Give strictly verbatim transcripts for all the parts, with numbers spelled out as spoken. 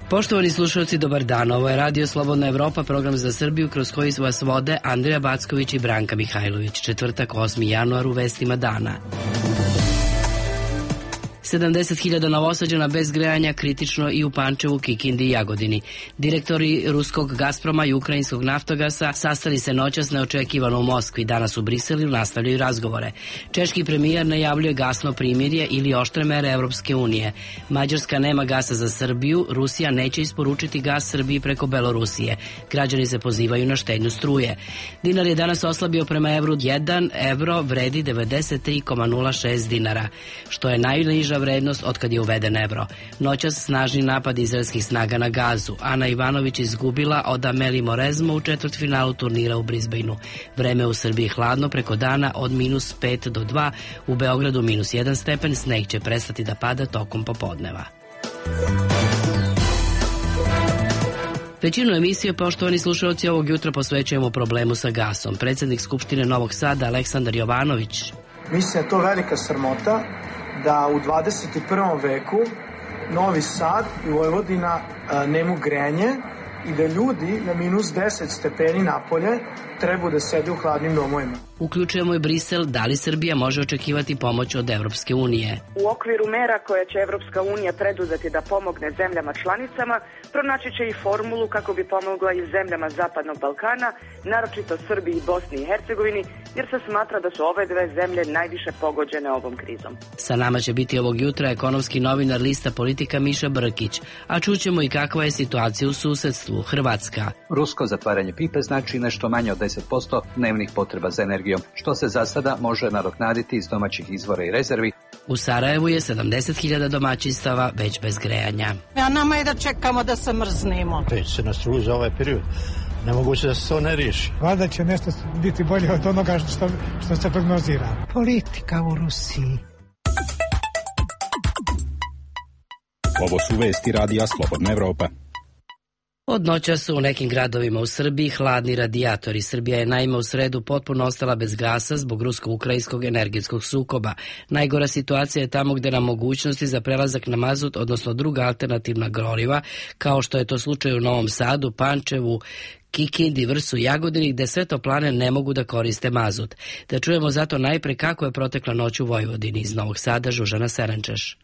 Poštovani slušalci, dobar dan. Ovo je Radio Slobodna Evropa, program za Srbiju kroz koji vas vode Andrija Backović i Branka Mihajlović. Četvrtak, osmi januar, u vestima dana. sedamdeset hiljada Novosađana bez grejanja, kritično i u Pančevu, Kikindi i Jagodini. Direktori ruskog Gazproma i ukrajinskog Naftogasa sastali se noćas neočekivano u Moskvi. Danas u Briselu nastavljaju razgovore. Češki premijer najavljuje gasno primirje ili oštre mere Evropske unije. Mađarska nema gasa za Srbiju, Rusija neće isporučiti gas Srbiji preko Belorusije. Građani se pozivaju na štednju struje. Dinar je danas oslabio prema evru, jedan evro vredi devedeset tri zarez nula šest dinara, što je najniža vrednost otkad je uveden evro. Noćas snažni napad izraelskih snaga na Gazu. Ana Ivanović izgubila od Ameli Morezmo u četvrtfinalu turnira u Brisbaneu. Vreme u Srbiji hladno preko dana od minus pet do dva, u Beogradu minus jedan stepen, sneg će prestati da pada tokom popodneva. Većinu emisije, poštovani slušalci, ovog jutra posvećujemo problemu sa gasom. Predsednik Skupštine Novog Sada, Aleksandar Jovanović. Mislim da je to velika sramota da u dvadeset prvom veku Novi Sad i Vojvodina nemu grenje i da ljudi na minus deset stepeni napolje treba da sede u hladnim domovima. Uključujemo i Brisel. Da li Srbija može očekivati pomoć od Evropske unije? U okviru mera koje će Evropska unija preduzeti da pomogne zemljama članicama, pronaći će i formulu kako bi pomogla i zemljama Zapadnog Balkana, naročito Srbiji i Bosni i Hercegovini, jer se smatra da su ove dve zemlje najviše pogođene ovom krizom. Sa nama će biti ovog jutra ekonomski novinar lista Politika Miša Brkić, a čućemo i kakva je situacija u susedstvu. Hrvatska. Rusko zatvaranje pipe znači nešto manje od deset posto dnevnih potreba za energijom, što se za sada može nadoknaditi iz domaćih izvora i rezervi. U Sarajevu je sedamdeset hiljada domaćinstava već bez grejanja. A nama je da čekamo da se mrznemo. Peć se na struju za ovaj period. Nemoguće da se to ne riješi. Valjda će nešto biti bolje od onoga što, što se prognozira. Politika u Rusiji. Ovo su vesti Radija Slobodna Evropa. Od noća su u nekim gradovima u Srbiji hladni radijatori. Srbija je naime u sredu potpuno ostala bez gasa zbog rusko-ukrajinskog energetskog sukoba. Najgora situacija je tamo gde nam mogućnosti za prelazak na mazut, odnosno druga alternativna goriva, kao što je to slučaj u Novom Sadu, Pančevu, Kikindi, Vrsu i Jagodini, gde sve toplane ne mogu da koriste mazut. Da čujemo zato najpre kako je protekla noć u Vojvodini. Iz Novog Sada, Žužana Serenčeš.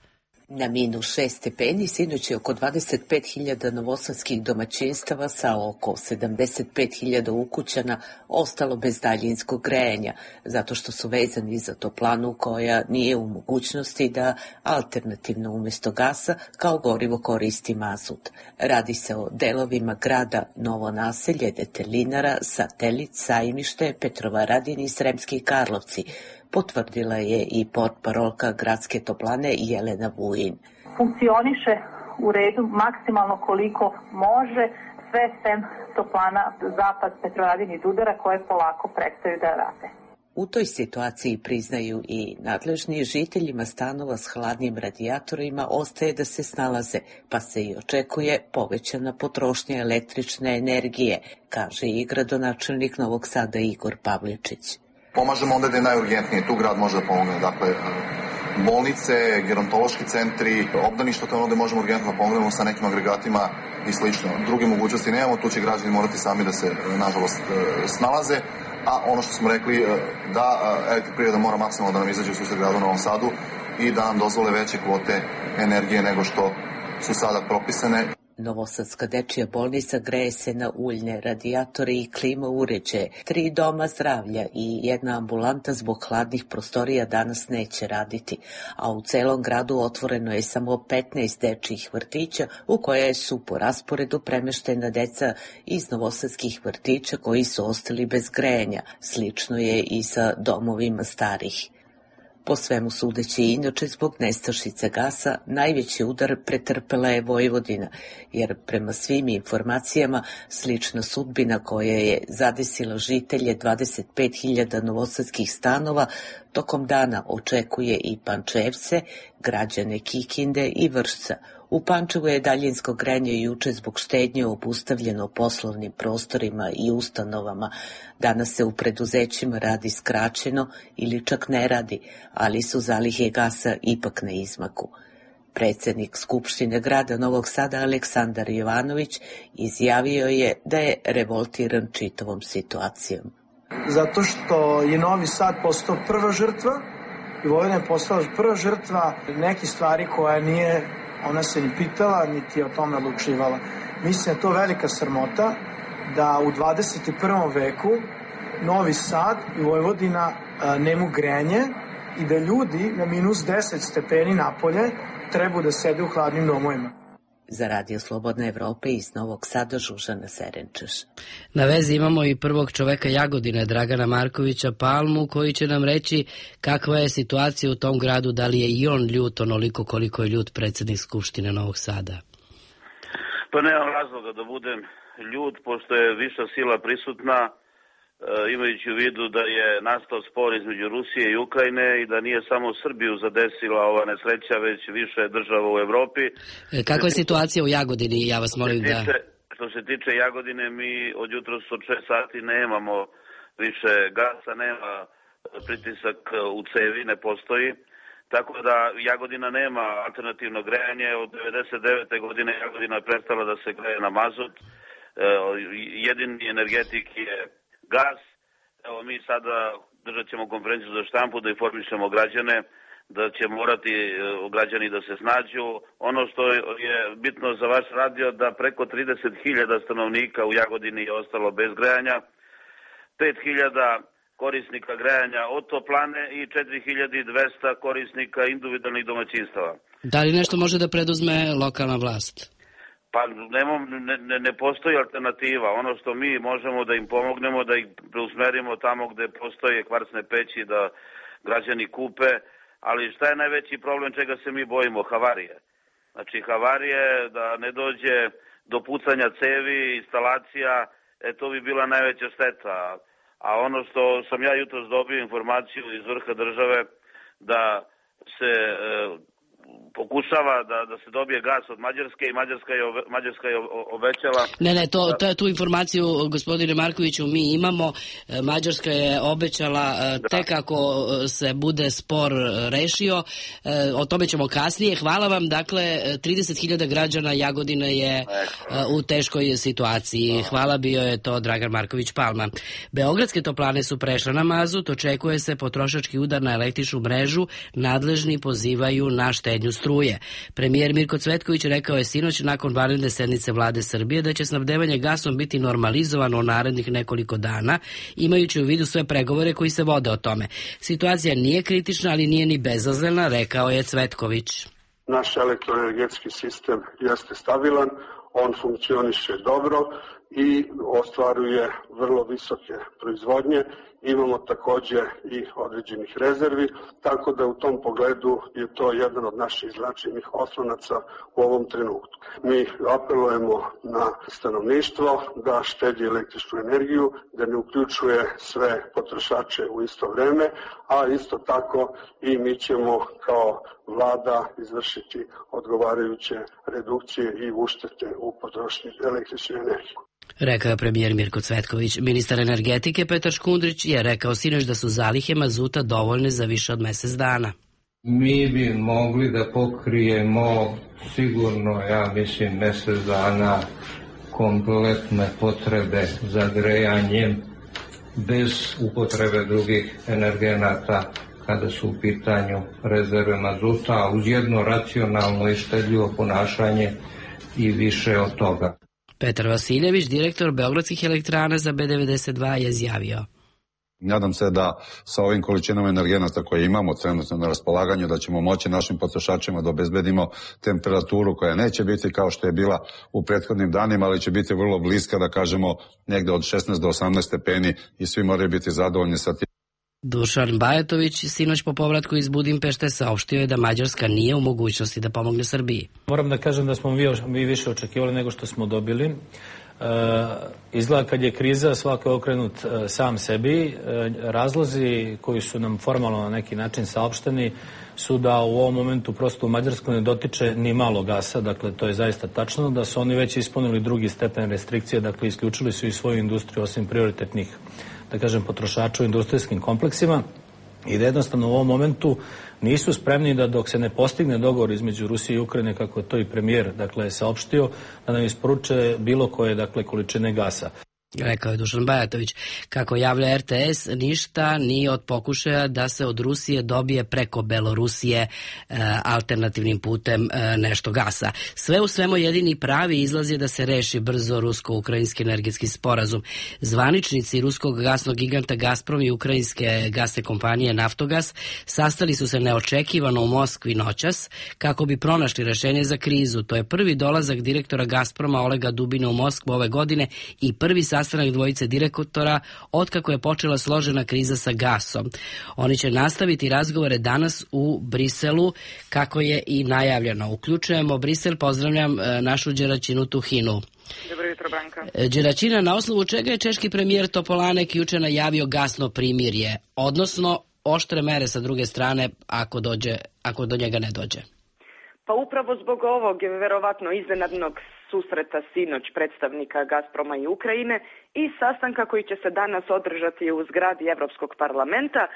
Na minus šest stepeni sinoć je oko dvadeset pet hiljada novosadskih domaćinstava sa oko sedamdeset pet hiljada ukućana ostalo bez daljinskog grejanja, zato što su vezani za toplanu koja nije u mogućnosti da alternativno umjesto gasa kao gorivo koristi mazut. Radi se o delovima grada Novo Naselje, Detelinara, Satelit, Sajmište, Petrovaradin i Sremski Karlovci, potvrdila je i portparolka gradske toplane Jelena Vujin. Funkcioniše u redu maksimalno koliko može, sve sem toplana Zapad, Petrovaradin i Dudara koje polako prestaju da rade. U toj situaciji, priznaju i nadležni, žiteljima stanova s hladnim radijatorima ostaje da se snalaze, pa se i očekuje povećana potrošnja električne energije, kaže i gradonačelnik Novog Sada Igor Pavličić. Pomažemo onda da je najurgentnije, tu grad može da pomogne, dakle bolnice, gerontološki centri, obdaništa, to je ono da možemo urgentno da pomognemo sa nekim agregatima i slično. Druge mogućnosti nemamo, tu će građani morati sami da se, nažalost, snalaze, a ono što smo rekli, da elektroprivreda mora maksimalno da nam izađe u susret gradu u Novom Sadu i da nam dozvole veće kvote energije nego što su sada propisane. Novosadska dečija bolnica greje se na uljne radijatore i klima uređaje. Tri doma zdravlja i jedna ambulanta zbog hladnih prostorija danas neće raditi, a u celom gradu otvoreno je samo petnaest dečjih vrtića u koje su po rasporedu premeštena deca iz novosadskih vrtića koji su ostali bez grejanja. Slično je i sa domovima starih. Po svemu sudeći, inače zbog nestašice gasa, najveći udar pretrpela je Vojvodina, jer prema svim informacijama slična sudbina koja je zadesila žitelje dvadeset pet hiljada novosadskih stanova Tokom dana očekuje i Pančevce, građane Kikinde i Vršca. U Pančevu je daljinsko grejanje juče zbog štednje obustavljeno poslovnim prostorima i ustanovama. Danas se u preduzećima radi skraćeno ili čak ne radi, ali su zalihe gasa ipak na izmaku. Predsjednik Skupštine grada Novog Sada Aleksandar Jovanović izjavio je da je revoltiran čitavom situacijom. Zato što je Novi Sad postao prva žrtva i Vojvodina je postala prva žrtva nekih stvari koja nije, ona se ni pitala, niti je o tome odlučivala. Mislim da je to velika sramota da u dvadeset i prvom veku Novi Sad i Vojvodina nemu grejanje i da ljudi na minus deset stepeni napolje trebaju da sede u hladnim domovima. Za Radio Slobodne Evrope iz Novog Sada Žužana Serenčeš. Na vezi imamo i prvog čoveka Jagodine, Dragana Markovića Palmu, koji će nam reći kakva je situacija u tom gradu, da li je i on ljut onoliko koliko je ljut predsjednik Skupštine Novog Sada. Pa nemam razloga da budem ljut, pošto je viša sila prisutna, imajući u vidu da je nastao spor između Rusije i Ukrajine i da nije samo Srbiju zadesila ova nesreća, već više država u Evropi. Kakva je situacija u Jagodini? Ja vas molim da... Što se tiče Jagodine, mi od jutros od šest sati nemamo više gasa, nema pritisak u cevi, ne postoji. Tako da Jagodina nema alternativno grejanje. Od devedeset devete godine Jagodina je prestala da se greje na mazut. Jedini energetik je gas. Evo mi sada držat ćemo konferenciju za štampu da informišemo građane da će morati građani da se snađu. Ono što je bitno za vaš radio da preko trideset hiljada stanovnika u Jagodini je ostalo bez grejanja, pet hiljada korisnika grejanja od toplane i četiri hiljade dvesta korisnika individualnih domaćinstava. Da li nešto može da preduzme lokalna vlast? Pa nemam, ne, ne, ne postoji alternativa. Ono što mi možemo da im pomognemo, da ih preusmerimo tamo gde postoje kvarsne peći, da građani kupe, ali šta je najveći problem čega se mi bojimo? Havarije. Znači havarije, da ne dođe do pucanja cevi, instalacija, e to bi bila najveća šteta. A ono što sam ja jutros dobio informaciju iz vrha države da se... E, pokušava da, da se dobije gas od Mađarske i Mađarska je, ove, Mađarska je obećala... Ne, ne, to, to, tu informaciju, gospodine Markoviću, mi imamo. Mađarska je obećala da. Tek ako se bude spor rešio. O tome ćemo kasnije. Hvala vam. Dakle, trideset hiljada građana Jagodine je u teškoj situaciji. Hvala, bio je to Dragan Marković Palma. Beogradske toplane su prešle na mazut. Očekuje se potrošački udar na električnu mrežu. Nadležni pozivaju na štednju struje. Premijer Mirko Cvetković rekao je sinoć nakon vanredne sednice vlade Srbije da će snabdevanje gasom biti normalizovano u narednih nekoliko dana, imajući u vidu sve pregovore koji se vode o tome. Situacija nije kritična, ali nije ni bezazlena, rekao je Cvetković. Naš elektroenergetski sistem jeste stabilan, on funkcioniše dobro i ostvaruje vrlo visoke proizvodnje. Imamo također i određenih rezervi, tako da u tom pogledu je to jedan od naših značajnih oslonaca u ovom trenutku. Mi apelujemo na stanovništvo da štedi električnu energiju, da ne uključuje sve potrošače u isto vreme, a isto tako i mi ćemo kao vlada izvršiti odgovarajuće redukcije i uštete u potrošnji električne energije. Rekao je premijer Mirko Cvetković. Ministar energetike Petar Škundrić je rekao sinoć da su zalihe mazuta dovoljne za više od mesec dana. Mi bi mogli da pokrijemo sigurno, ja mislim, mesec dana kompletne potrebe za grejanjem bez upotrebe drugih energenata kada su u pitanju rezerve mazuta, a uz jedno racionalno i štedljivo ponašanje i više od toga. Petar Vasiljević, direktor Beogradskih elektrana za B devedeset dva, je izjavio. Nadam se da sa ovim količinama energenata koje imamo trenutno na raspolaganju da ćemo moći našim potrošačima da obezbedimo temperaturu koja neće biti kao što je bila u prethodnim danima, ali će biti vrlo bliska, da kažemo, negde od šesnaest do osamnaest stepeni i svi moraju biti zadovoljni sa tim. Dušan Bajatović sinoć po povratku iz Budimpešte saopštio je da Mađarska nije u mogućnosti da pomogne Srbiji. Moram da kažem da smo mi više očekivali nego što smo dobili. izgleda kad je kriza svako je okrenut sam sebi. Razlozi koji su nam formalno na neki način saopšteni su da u ovom momentu prosto u Mađarskoj ne dotiče ni malo gasa, dakle to je zaista tačno, da su oni već ispunili drugi stepen restrikcije, dakle isključili su i svoju industriju osim prioritetnih, da kažem, potrošača u industrijskim kompleksima i da jednostavno u ovom momentu nisu spremni da dok se ne postigne dogovor između Rusije i Ukrajine, kako je to i premijer dakle saopštio, da nam isporuče bilo koje dakle količine gasa. Rekao je Dušan Bajatović. Kako javlja er te es, ništa nije od pokušaja da se od Rusije dobije preko Belorusije e, alternativnim putem e, nešto gasa. Sve u svemu jedini pravi izlaz je da se reši brzo rusko-ukrajinski energetski sporazum. Zvaničnici ruskog gasnog giganta Gazprom i ukrajinske gasne kompanije Naftogas sastali su se neočekivano u Moskvi noćas kako bi pronašli rešenje za krizu. To je prvi dolazak direktora Gazproma Olega Dubina u Moskvu ove godine i prvi sastanak dvojice direktora otkako je počela složena kriza sa gasom. Oni će nastaviti razgovore danas u Briselu, kako je i najavljeno. Uključujemo Brisel, pozdravljam našu Đeračinu Tuhinu. Dobro jutro, Branka. Đeračina, na osnovu čega je češki premijer Topolanek juče najavio gasno primirje, odnosno oštre mere sa druge strane ako, dođe, ako do njega ne dođe? Pa upravo zbog ovog verovatno iznenadnog susreta sinoć predstavnika Gazproma i Ukrajine i sastanka koji će se danas održati u zgradi Evropskog parlamenta,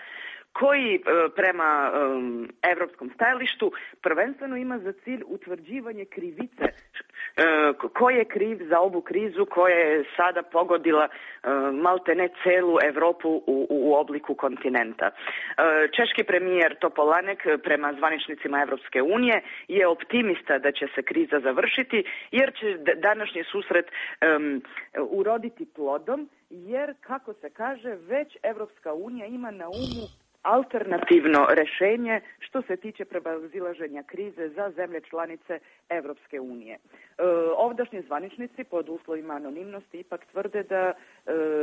koji prema um, evropskom stajalištu prvenstveno ima za cilj utvrđivanje krivice, ko je kriv za ovu krizu koja je sada pogodila maltene celu Evropu u, u obliku kontinenta. Češki premijer Topolanek prema zvaničnicima Evropske unije je optimista da će se kriza završiti, jer će današnji susret um, uroditi plodom, jer, kako se kaže, već Evropska unija ima na umu alternativno rešenje što se tiče prevazilaženja krize za zemlje članice Evropske unije. E, ovdašnji zvaničnici pod uslovima anonimnosti ipak tvrde da e,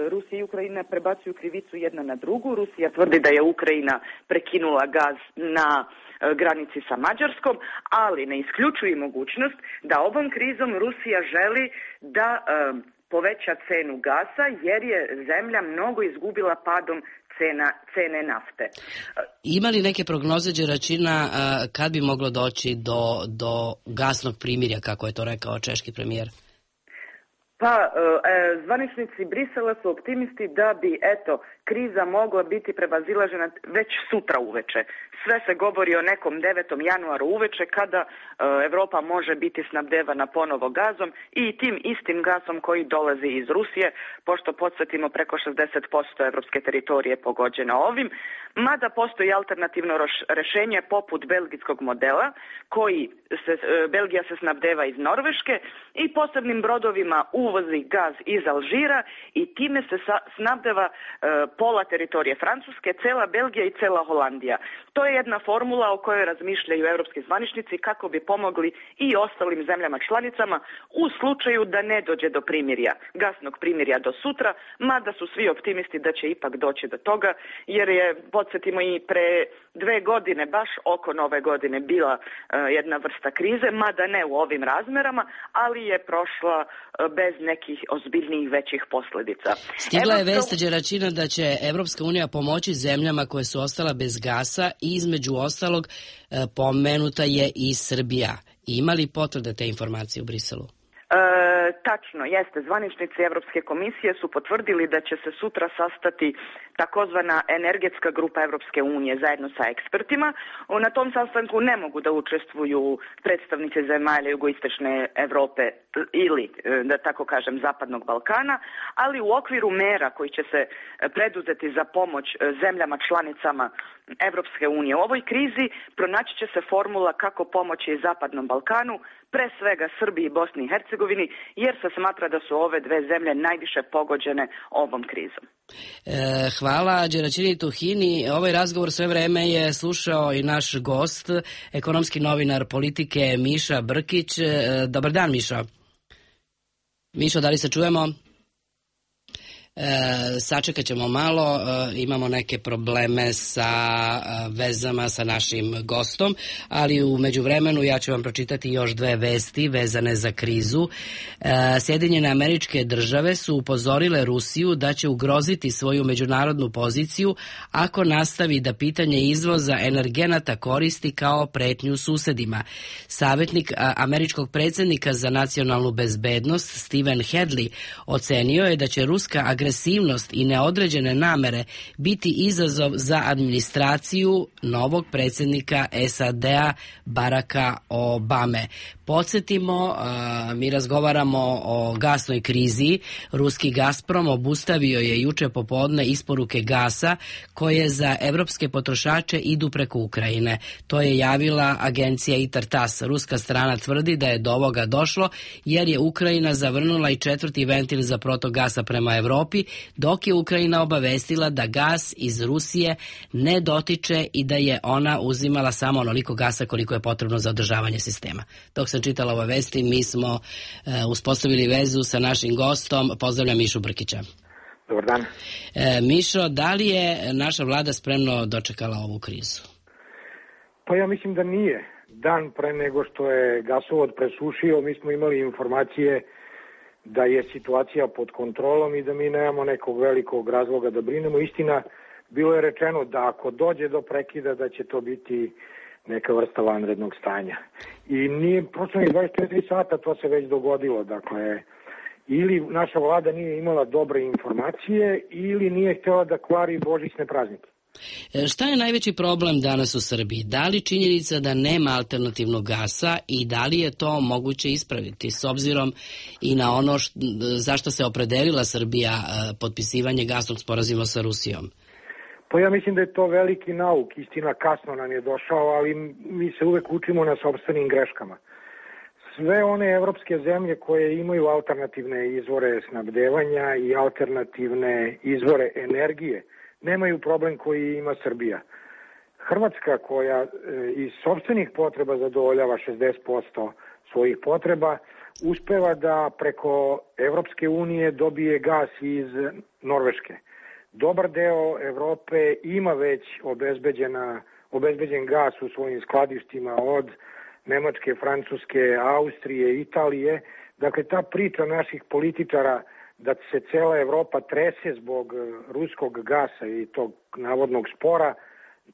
Rusija i Ukrajina prebacuju krivicu jedna na drugu. Rusija tvrdi da je Ukrajina prekinula gaz na e, granici sa Mađarskom, ali ne isključuje mogućnost da ovom krizom Rusija želi da e, poveća cenu gasa, jer je zemlja mnogo izgubila padom Cena, cene nafte. Ima li neke prognoze, Đeračina, kad bi moglo doći do, do gasnog primirja, kako je to rekao češki premijer? Pa, e, zvaničnici Brisela su optimisti da bi, eto, kriza mogla biti prevazilažena već sutra uveče. Sve se govori o nekom devetom januaru uveče, kada e, Evropa može biti snabdevana ponovo gazom i tim istim gasom koji dolazi iz Rusije, pošto podsjetimo preko šezdeset posto evropske teritorije pogođena ovim, mada postoji alternativno rešenje poput belgijskog modela, koji se, e, Belgija se snabdeva iz Norveške i posebnim brodovima uvozi gaz iz Alžira i time se sa, snabdeva e, pola teritorije Francuske, cela Belgija i cela Holandija. To je jedna formula o kojoj razmišljaju evropski zvaničnici kako bi pomogli i ostalim zemljama članicama u slučaju da ne dođe do primirja, gasnog primirja do sutra, mada su svi optimisti da će ipak doći do toga, jer je, podsjetimo, i pre dve godine, baš oko nove godine, bila uh, jedna vrsta krize, mada ne u ovim razmerama, ali je prošla uh, bez nekih ozbiljnijih većih posljedica. Stigla je vest, Đeračina, da će Evropska unija pomoći zemljama koje su ostala bez gasa i između ostalog pomenuta je i Srbija. Ima li potvrde te informacije u Briselu? E, tačno, jeste. Zvaničnici Evropske komisije su potvrdili da će se sutra sastati takozvana energetska grupa Evropske unije zajedno sa ekspertima. Na tom sastanku ne mogu da učestvuju predstavnici zemalja jugoistočne Evrope ili, da tako kažem, Zapadnog Balkana, ali u okviru mera koji će se preduzeti za pomoć zemljama članicama Evropske unije u ovoj krizi pronaći će se formula kako pomoći Zapadnom Balkanu, pre svega Srbiji i Bosni i Hercegovini, jer se smatra da su ove dve zemlje najviše pogođene ovom krizom. E, hvala Đeračini Tuhini. Ovaj razgovor sve vreme je slušao i naš gost, ekonomski novinar Politike Miša Brkić. E, dobar dan, Miša. Mišo, da li se čujemo? sačekat ćemo malo, imamo neke probleme sa vezama sa našim gostom, ali u međuvremenu ja ću vam pročitati još dve vesti vezane za krizu. Sjedinjene Američke Države su upozorile Rusiju da će ugroziti svoju međunarodnu poziciju ako nastavi da pitanje izvoza energenata koristi kao pretnju susedima. Savjetnik američkog predsjednika za nacionalnu bezbednost Stephen Hadley ocenio je da će ruska agresivnost i neodređene namere biti izazov za administraciju novog predsjednika S A D-a Baracka Obame. Podsjetimo, mi razgovaramo o gasnoj krizi. Ruski Gazprom obustavio je juče popodne isporuke gasa koje za evropske potrošače idu preko Ukrajine. To je javila agencija ITAR-TASS. Ruska strana tvrdi da je do ovoga došlo jer je Ukrajina zavrnula i četvrti ventil za protok gasa prema Evropi, dok je Ukrajina obavestila da gas iz Rusije ne dotiče i da je ona uzimala samo onoliko gasa koliko je potrebno za održavanje sistema. Dok sam čitala ove vesti, mi smo e, uspostavili vezu sa našim gostom. Pozdravljam Mišu Brkića. Dobar dan. E, Mišo, da li je naša vlada spremno dočekala ovu krizu? Pa ja mislim da nije. Dan pre nego što je gasovod presušio, mi smo imali informacije da je situacija pod kontrolom i da mi nemamo nekog velikog razloga da brinemo. Istina, bilo je rečeno da ako dođe do prekida da će to biti neka vrsta vanrednog stanja. I nije prošlo ni dvadeset četiri sata, to se već dogodilo. Dakle, ili naša vlada nije imala dobre informacije ili nije htjela da kvari božićne praznike. Šta je najveći problem danas u Srbiji? Da li činjenica da nema alternativnog gasa i da li je to moguće ispraviti s obzirom i na ono št, zašto se opredelila Srbija potpisivanje gasnog sporazuma sa Rusijom? Pa ja mislim da je to veliki nauk. Istina, kasno nam je došao, ali mi se uvek učimo na sopstvenim greškama. Sve one evropske zemlje koje imaju alternativne izvore snabdevanja i alternativne izvore energije nemaju problem koji ima Srbija. Hrvatska koja iz sopstvenih potreba zadovoljava šezdeset posto svojih potreba, uspeva da preko Evropske unije dobije gas iz Norveške. Dobar deo Evrope ima već obezbeđena, obezbeđen gas u svojim skladištima od Nemačke, Francuske, Austrije, Italije. Dakle, ta priča naših političara da se cela Evropa trese zbog ruskog gasa i tog navodnog spora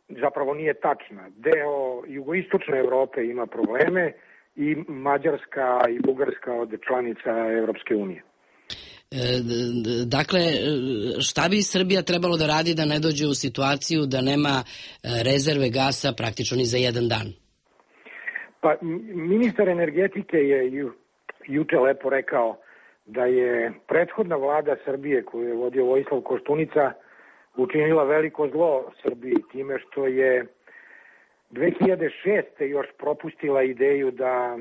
zapravo nije tačna. Deo jugoistočne Evrope ima probleme i Mađarska i Bugarska od članica Evropske unije. Dakle, šta bi Srbija trebalo da radi da ne dođe u situaciju da nema rezerve gasa praktično ni za jedan dan? Pa, ministar energetike je ju, juče lepo rekao da je prethodna vlada Srbije koju je vodio Vojislav Koštunica učinila veliko zlo Srbiji time što je dve hiljade šeste. još propustila ideju da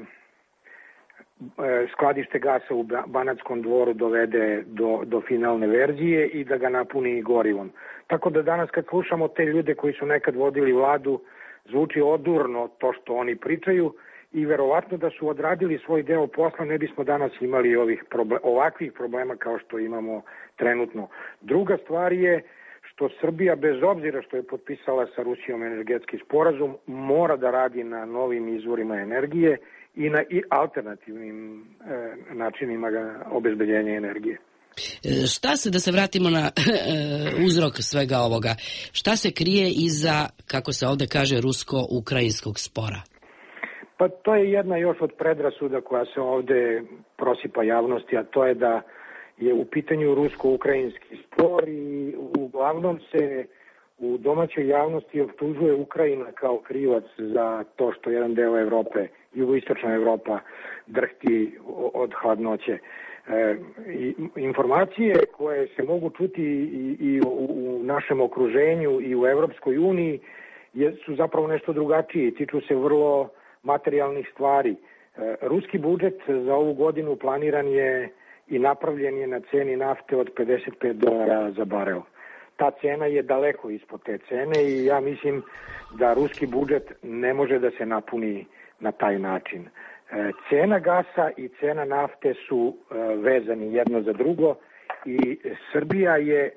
skladište gasa u Banatskom Dvoru dovede do, do finalne verzije i da ga napuni gorivom. Tako da danas kad slušamo te ljude koji su nekad vodili vladu, zvuči odurno to što oni pričaju i verovatno da su odradili svoj deo posla ne bismo danas imali ovih problem, ovakvih problema kao što imamo trenutno. Druga stvar je što Srbija, bez obzira što je potpisala sa Rusijom energetski sporazum, mora da radi na novim izvorima energije i na i alternativnim e, načinima obezbeđenja energije. Šta se, da se vratimo na uzrok svega ovoga, šta se krije iza, kako se ovde kaže, rusko-ukrajinskog spora? Pa to je jedna još od predrasuda koja se ovde prosipa javnosti, a to je da je u pitanju rusko-ukrajinski spor i uglavnom se u domaćoj javnosti optužuje Ukrajina kao krivac za to što jedan deo Evrope, jugoistočna Evropa, drhti od hladnoće. E, informacije koje se mogu čuti i, i u, u našem okruženju i u Evropskoj uniji je, su zapravo nešto drugačije i tiču se vrlo materijalnih stvari. E, ruski budžet za ovu godinu planiran je i napravljen je na ceni nafte od pedeset pet dolara za barel. Ta cena je daleko ispod te cene i ja mislim da ruski budžet ne može da se napuni na taj način. Cena gasa i cena nafte su vezani jedno za drugo i Srbija je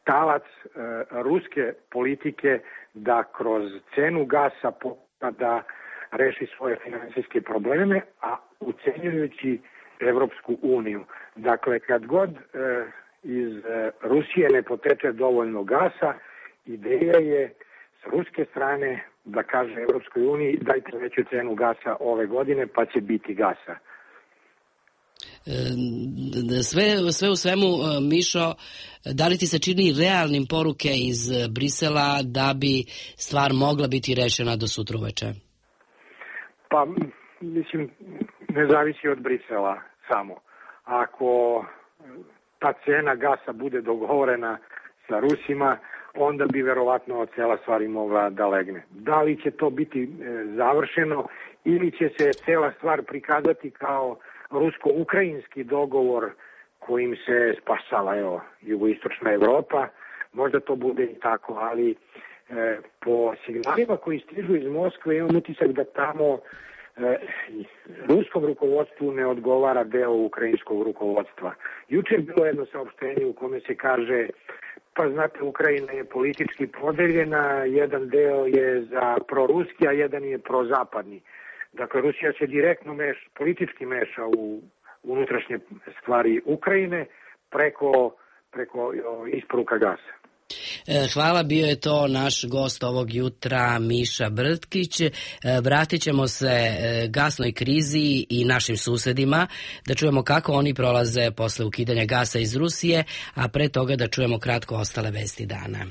talac e, ruske politike da kroz cenu gasa pokuša da reši svoje finansijske probleme, a ucenjujući Evropsku uniju. Dakle, kad god e, iz e, Rusije ne poteče dovoljno gasa, ideja je s ruske strane da kaže Evropskoj uniji dajte veću cenu gasa ove godine pa će biti gasa. Sve, sve u svemu, Mišo, da li ti se čini realnim poruke iz Brisela da bi stvar mogla biti rešena do sutra uveče? Pa, mislim, ne zavisi od Brisela samo. Ako ta cena gasa bude dogovorena sa Rusima, onda bi verovatno cela stvar i mogla da legne. Da li će to biti završeno ili će se cela stvar prikazati kao rusko-ukrajinski dogovor kojim se spasava evo, jugoistočna Evropa, možda to bude i tako, ali e, po signalima koji stižu iz Moskve imam utisak da tamo e, ruskom rukovodstvu ne odgovara deo ukrajinskog rukovodstva. Juče je bilo jedno saopštenje u kome se kaže pa znate, Ukrajina je politički podeljena, jedan deo je za proruski, a jedan je prozapadni. Dakle, Rusija se direktno meš, politički meša u unutrašnje stvari Ukrajine preko, preko isporuka gasa. Hvala, bio je to naš gost ovog jutra, Miša Brtkić. Vratit ćemo se gasnoj krizi i našim susedima, da čujemo kako oni prolaze posle ukidanja gasa iz Rusije, a pre toga da čujemo kratko ostale vesti dana.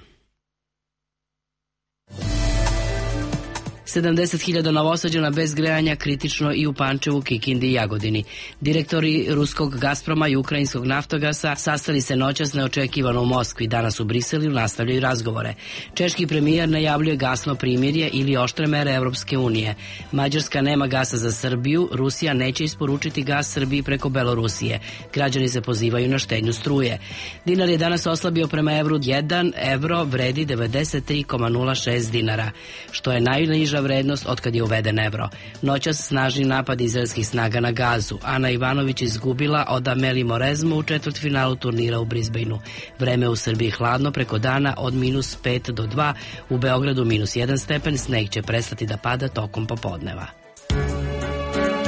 sedamdeset hiljada Novosađana bez grejanja kritično i u Pančevu, Kikindi i Jagodini. Direktori ruskog Gasproma i ukrajinskog Naftogasa sastali se noćas neočekivano u Moskvi. Danas u Briselu nastavljaju razgovore. Češki premijer najavljuje gasno primirje ili oštre mere Evropske unije. Mađarska nema gasa za Srbiju, Rusija neće isporučiti gas Srbiji preko Belorusije. Građani se pozivaju na štednju struje. Dinar je danas oslabio prema evru, jedan evro vredi devedeset tri zarez nula šest dinara, što je najniža vrednost otkad je uveden evro. Noćas snažni napad izraelskih snaga na Gazu. Ana Ivanović izgubila od Ameli Morezmu u četvrtfinalu turnira u Brisbaneu. Vreme u Srbiji hladno preko dana od minus pet do dva, u Beogradu minus jedan stepen, sneg će prestati da pada tokom popodneva.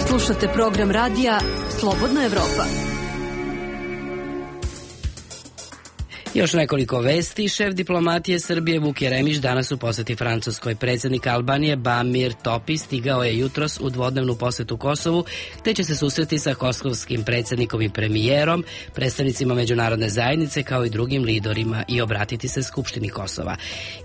Slušate program radija Slobodna Evropa. Još nekoliko vesti. Šef diplomatije Srbije Vuk Jeremić danas u poseti Francuskoj. Predsjednik Albanije Bamir Topi stigao je jutros u dvodnevnu posetu Kosovu, te će se susreti sa kosovskim predsjednikom i premijerom, predstavnicima međunarodne zajednice kao i drugim liderima i obratiti se Skupštini Kosova.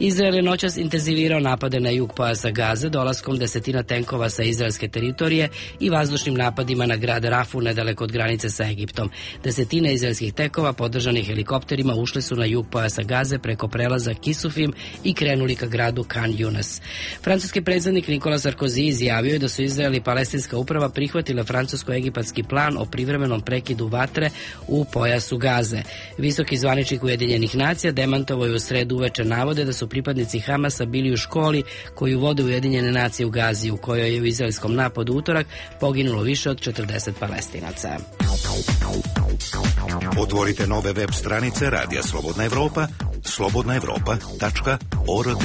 Izrael je noćas intenzivirao napade na jug pojasa Gaze dolaskom desetina tenkova sa izraelske teritorije i vazdušnim napadima na grad Rafu nedaleko od granice sa Egiptom. Desetine izraelskih tenkova podržanih helikopterima ušli su na jug pojasa Gaze preko prelaza Kisufim i krenuli ka gradu Khan Yunis. Francuski predsjednik Nikola Sarkozy izjavio je da su Izrael i palestinska uprava prihvatile francusko-egipatski plan o privremenom prekidu vatre u pojasu Gaze. Visoki zvaničnik Ujedinjenih nacija demantovao je u sredu uveče navode da su pripadnici Hamasa bili u školi koju vode Ujedinjene nacije u Gazi, u kojoj je u izraelskom napadu utorak poginulo više od četrdeset Palestinaca. Otvorite nove web stranice Radija Slobodna Evropa, slobodna evropa tačka org.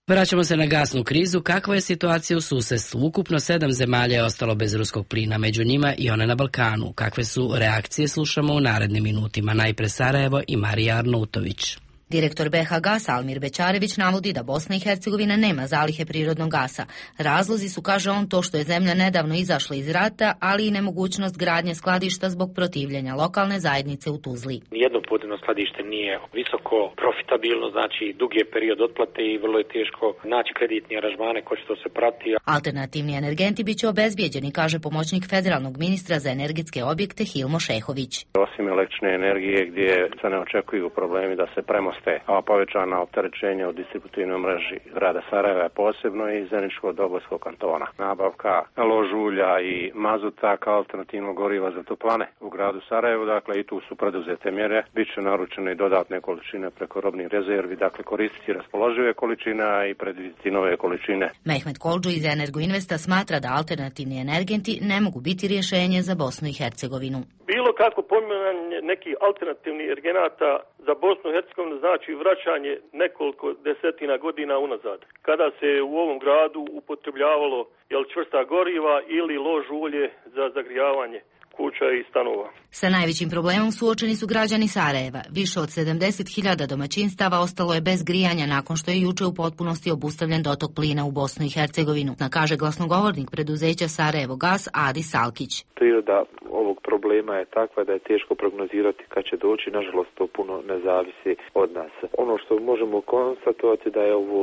Vraćamo se na gasnu krizu. Kakva je situacija u susedstvu? Ukupno sedam zemalja je ostalo bez ruskog plina, među njima i one na Balkanu. Kakve su reakcije, slušamo u narednim minutima. Najpre Sarajevo i Marija Arnautović. Direktor be ha Gasa Almir Bećarević navodi da Bosna i Hercegovina nema zalihe prirodnog gasa. Razlozi su, kaže on, to što je zemlja nedavno izašla iz rata, ali i nemogućnost gradnje skladišta zbog protivljenja lokalne zajednice u Tuzli. Nijedno podzemno skladište nije visoko profitabilno, znači dug je period otplate i vrlo je teško naći kreditni aranžmane koji što se prati. Alternativni energenti biće obezbijeđeni, kaže pomoćnik federalnog ministra za energetske objekte Hilmo Šehović. Osim električne energije gdje se ne očekuju problemi da se premosti ostaje. A povećana opterećenja u distributivnoj mreži grada Sarajeva posebno i Zeničko-Dobojskog kantona. Nabavka lož ulja i mazuta kao alternativnog goriva za toplane u gradu Sarajevu, dakle i tu su preduzete mjere. Biće naručene i dodatne količine preko robnih rezervi, dakle koristiti raspoložive količine i predvidjeti nove količine. Mehmet Koldžu iz Energoinvesta smatra da alternativni energenti ne mogu biti rješenje za Bosnu i Hercegovinu. Bilo kako pominjanje nekih alternativnih energenata za Bosnu i Hercegovinu znači vraćanje nekoliko desetina godina unazad, kada se u ovom gradu upotrebljavalo jel, čvrsta goriva ili lož ulje za zagrijavanje kuća i stanova. Sa najvećim problemom suočeni su građani Sarajeva. Više od sedamdeset hiljada domaćinstava ostalo je bez grijanja nakon što je juče u potpunosti obustavljen dotok plina u Bosnu i Hercegovinu, kaže glasnogovornik preduzeća Sarajevo Gas Adi Salkić. Priroda ovog problema je takva da je teško prognozirati kad će doći, nažalost to puno ne zavisi od nas. Ono što možemo konstatovati da je ovo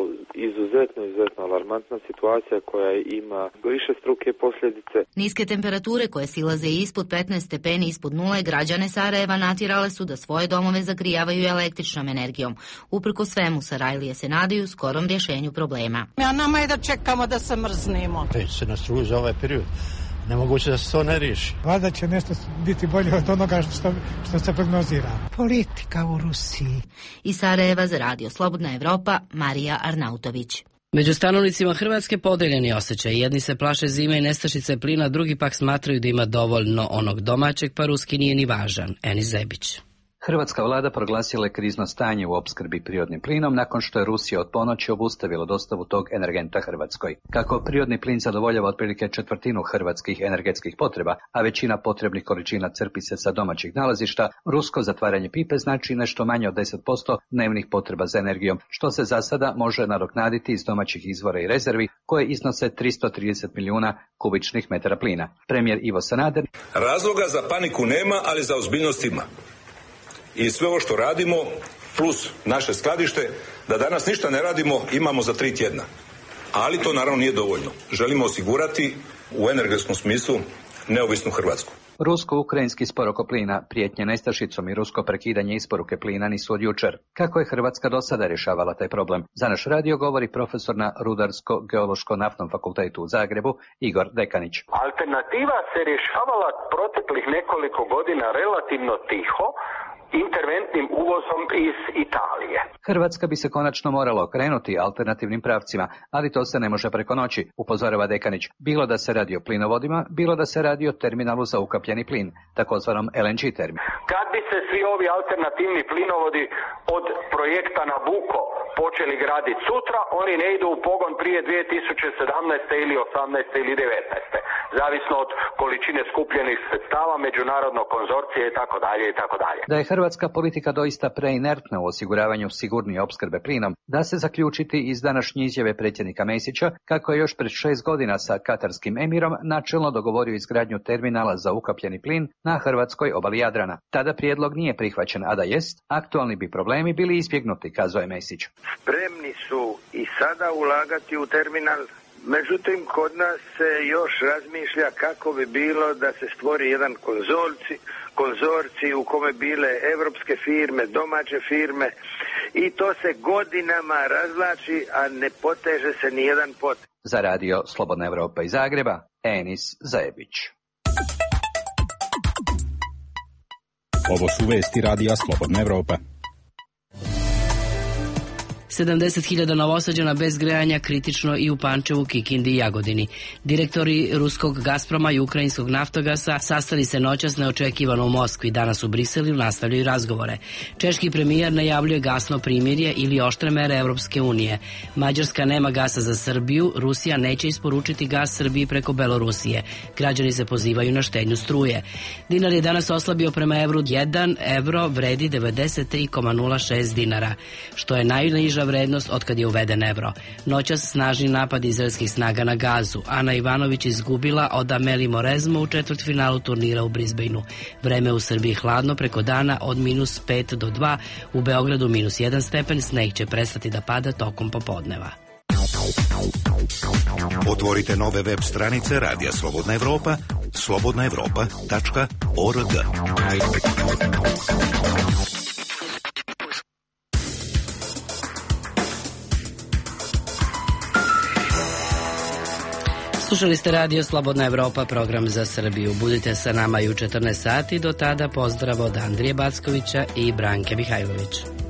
izuzetno, izuzetno alarmantna situacija koja ima više struke posljedice. Niske temperature koje silaze ispod petnaest stepeni ispod nule građane Sarajeva natjerale su da svoje domove zagrijavaju električnom energijom. Uprko svemu, Sarajlije se nadaju skorom rješenju problema. A nama je da čekamo da se mrznemo. Već se na struju za ovaj period. Nemoguće da se to ne riješi. Valjda će nešto biti bolje od onoga što, što se prognozira. Politika u Rusiji. Iz Sarajeva za Radio Slobodna Evropa, Marija Arnautović. Među stanovnicima Hrvatske podeljeni osjećaj. Jedni se plaše zime i nestašice plina, drugi pak smatraju da ima dovoljno onog domaćeg, pa ruski nije ni važan. Enis Zebić. Hrvatska vlada proglasila je krizno stanje u opskrbi prirodnim plinom nakon što je Rusija od ponoći obustavila dostavu tog energenta Hrvatskoj. Kako prirodni plin zadovoljava otprilike četvrtinu hrvatskih energetskih potreba, a većina potrebnih količina crpi se sa domaćih nalazišta, rusko zatvaranje pipe znači nešto manje od deset posto dnevnih potreba za energijom, što se za sada može nadoknaditi iz domaćih izvora i rezervi koje iznose tristo trideset milijuna kubičnih metara plina. Premijer Ivo Sanader: razloga za paniku nema, ali za ozbiljnost ima. I sve ovo što radimo, plus naše skladište, da danas ništa ne radimo, imamo za tri tjedna. Ali to naravno nije dovoljno. Želimo osigurati u energetskom smislu neovisnu Hrvatsku. Rusko-ukrajinski spor oko plina, prijetnje nestašicom i rusko prekidanje isporuke plina nisu od jučer. Kako je Hrvatska do sada rješavala taj problem? Za naš radio govori profesor na Rudarsko-geološko-naftnom fakultetu u Zagrebu, Igor Dekanić. Alternativa se rješavala proteklih nekoliko godina relativno tiho, interventnim uvozom iz Italije. Hrvatska bi se konačno morala okrenuti alternativnim pravcima, ali to se ne može preko noći, upozorava Dekanić. Bilo da se radi o plinovodima, bilo da se radi o terminalu za ukapljeni plin, takozvanom L N G terminalu. Kad bi se svi ovi alternativni plinovodi od projekta Nabucco počeli graditi sutra, oni ne idu u pogon prije dvije tisuće sedamnaeste ili osamnaeste ili devetnaeste zavisno od količine skupljenih sredstava, međunarodnog konzorcija i tako dalje i tako dalje. Da je hrvatska politika doista preinertna u osiguravanju sigurnije opskrbe plinom, da se zaključiti iz današnje izjave predsjednika Mesića, kako je još pred šest godina sa katarskim emirom načelno dogovorio izgradnju terminala za ukapljeni plin na hrvatskoj obali Jadrana. Tada prijedlog nije prihvaćen, a da jest, aktualni bi problemi bili izbjegnuti, kazao je Mesić. Spremni su i sada ulagati u terminal. Međutim, kod nas se još razmišlja kako bi bilo da se stvori jedan konzorci, konzorci u kome bile evropske firme, domaće firme i to se godinama razvlači, a ne poteže se ni jedan pot. Za radio Slobodna Evropa iz Zagreba, Enis Zajebić. Ovo su vesti radija Slobodna Evropa. sedamdeset hiljada Novosađana bez grejanja kritično i u Pančevu, Kikindi i Jagodini. Direktori ruskog Gasproma i ukrajinskog Naftogasa sastali se noćas neočekivano u Moskvi. Danas u Briselju nastavljaju razgovore. Češki premijer najavljuje gasno primirje ili oštre mere Evropske unije. Mađarska nema gasa za Srbiju, Rusija neće isporučiti gas Srbiji preko Belorusije. Građani se pozivaju na štednju struje. Dinar je danas oslabio prema evru, jedan evro vredi devedeset tri zarez nula šest dinara, što je najniža vrednost otkad je uveden evro. Noćas snažni napad izraelskih snaga na Gazu. Ana Ivanović izgubila od Ameli Morezmo u četvrtfinalu turnira u Brisbaneu. Vreme u Srbiji hladno preko dana od minus pet do dva, u Beogradu minus jedan stepen, sneg će prestati da pada tokom popodneva. Otvorite nove web stranice Radija Slobodna Evropa, slobodna evropa tačka org. Slušali ste Radio Slobodna Evropa, program za Srbiju. Budite sa nama i u četrnaest sati. Do tada pozdrav od Andrije Backovića i Branke Mihajlović.